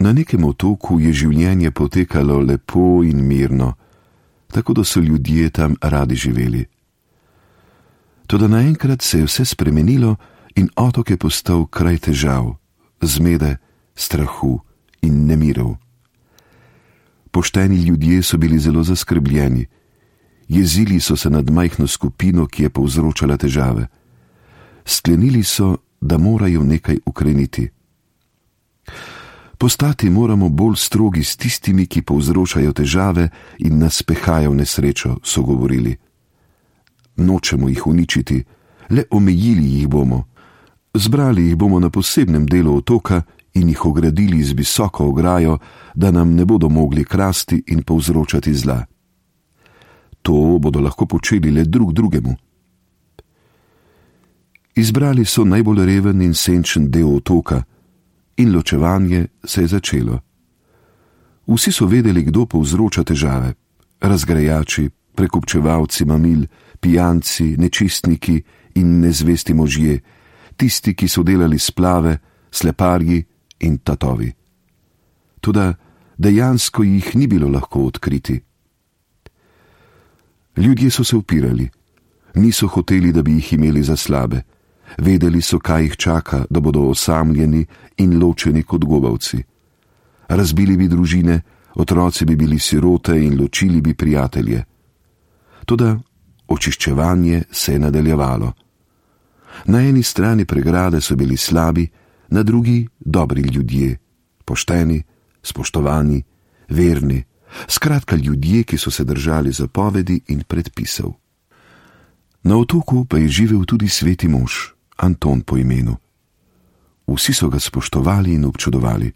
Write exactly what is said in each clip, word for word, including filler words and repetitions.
Na nekem otoku je življenje potekalo lepo in mirno, tako da so ljudje tam radi živeli. Toda naenkrat se je vse spremenilo in otok je postal kraj težav, zmede, strahu in nemirov. Pošteni ljudje so bili zelo zaskrbljeni. Jezili so se nad majhno skupino, ki je povzročala težave. Sklenili so, da morajo nekaj ukreniti. Postati moramo bolj strogi s tistimi, ki povzročajo težave in nas pehajo v nesrečo, so govorili. Nočemo jih uničiti, le omejili jih bomo. Zbrali jih bomo na posebnem delu otoka in jih ogradili z visoko ograjo, da nam ne bodo mogli krasti in povzročati zla. To bodo lahko počeli le drug drugemu. Izbrali so najbolj reven in senčen del otoka in ločevanje se je začelo. Vsi so vedeli, kdo povzroča težave. Razgrajači, prekupčevalci mamil, pijanci, nečistniki in nezvesti možje, tisti, ki so delali splave, sleparji in tatovi. Toda dejansko jih ni bilo lahko odkriti. Ljudje so se upirali, niso hoteli, da bi jih imeli za slabe. Vedeli so, kaj jih čaka, da bodo osamljeni in ločeni kot gobavci. Razbili bi družine, otroci bi bili sirote in ločili bi prijatelje. Toda očiščevanje se je nadaljevalo. Na eni strani pregrade so bili slabi, na drugi dobri ljudje, pošteni, spoštovani, verni, skratka ljudje, ki so se držali zapovedi in predpisov. Na otoku pa je živel tudi sveti mož, Anton po imenu. Vsi so ga spoštovali in občudovali.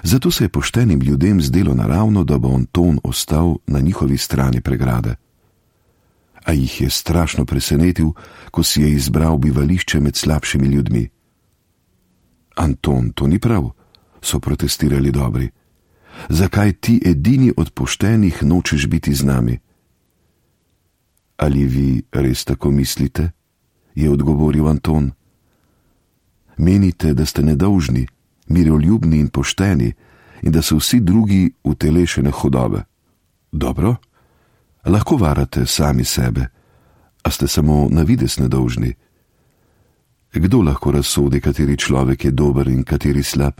Zato se je poštenim ljudem zdelo naravno, da bo Anton ostal na njihovi strani pregrade. A jih je strašno presenetil, ko si je izbral bivališče med slabšimi ljudmi. Anton, to ni prav, so protestirali dobri. Zakaj ti edini od poštenih nočeš biti z nami? Ali vi res tako mislite? Je odgovoril Anton. Menite, da ste nedolžni, miroljubni in pošteni in da so vsi drugi utelešene hudobe. Dobro, lahko varate sami sebe, a ste samo na videz nedolžni. Kdo lahko razsodi, kateri človek je dober in kateri slab?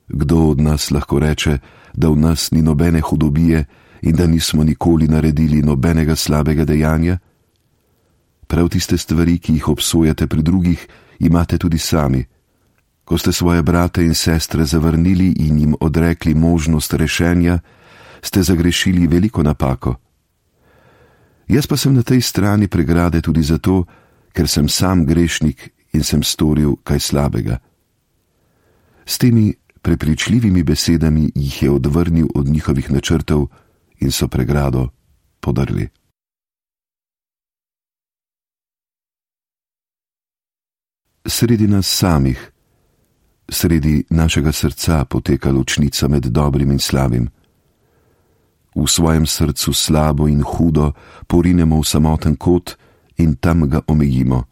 Kdo od nas lahko reče, da v nas ni nobene hudobije in da nismo nikoli naredili nobenega slabega dejanja? Prav tiste stvari, ki jih obsojate pri drugih, imate tudi sami. Ko ste svoje brate in sestre zavrnili in jim odrekli možnost rešenja, ste zagrešili veliko napako. Jaz pa sem na tej strani pregrade tudi zato, ker sem sam grešnik in sem storil kaj slabega. S temi prepričljivimi besedami jih je odvrnil od njihovih načrtov in so pregrado podrli. Sredi nas samih, sredi našega srca poteka ločnica med dobrim in slabim. V svojem srcu slabo in hudo porinemo v samoten kot in tam ga omejimo.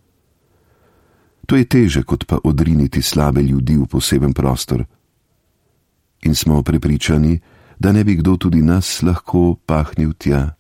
To je teže, kot pa odriniti slabe ljudi v poseben prostor. In smo prepričani, da ne bi kdo tudi nas lahko pahnil tja.